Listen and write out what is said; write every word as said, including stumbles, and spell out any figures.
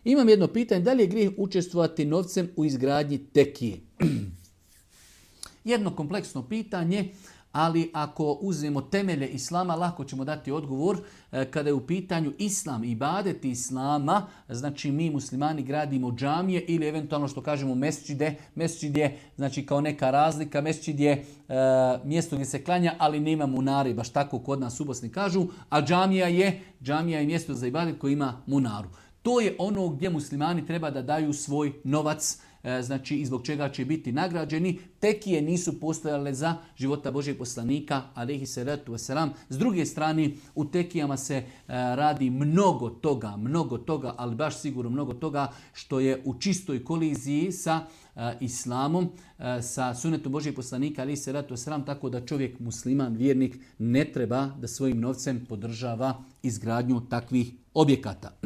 Imam jedno pitanje, da li je grijeh učestvovati novcem u izgradnji tekije? Jedno kompleksno pitanje, ali ako uzmemo temelje Islama, lako ćemo dati odgovor. Kada je u pitanju Islam i ibadet Islama, znači mi muslimani gradimo džamije ili eventualno što kažemo mesdžide. Mesdžid je znači kao neka razlika, mesdžid je e, mjesto gdje se klanja, ali nema munari, baš tako kod nas u Bosni kažu, a džamija je, džamija je mjesto za ibadet koji ima munaru. To je ono gdje muslimani treba da daju svoj novac, znači i zbog čega će biti nagrađeni. Tekije nisu postojale za života Božjeg poslanika, alejhi selatu vesselam. S druge strane, u tekijama se radi mnogo toga, mnogo toga, ali baš sigurno mnogo toga što je u čistoj koliziji sa islamom, sa sunetom Božjeg poslanika, alejhi selatu vesselam, tako da čovjek, musliman, vjernik, ne treba da svojim novcem podržava izgradnju takvih objekata.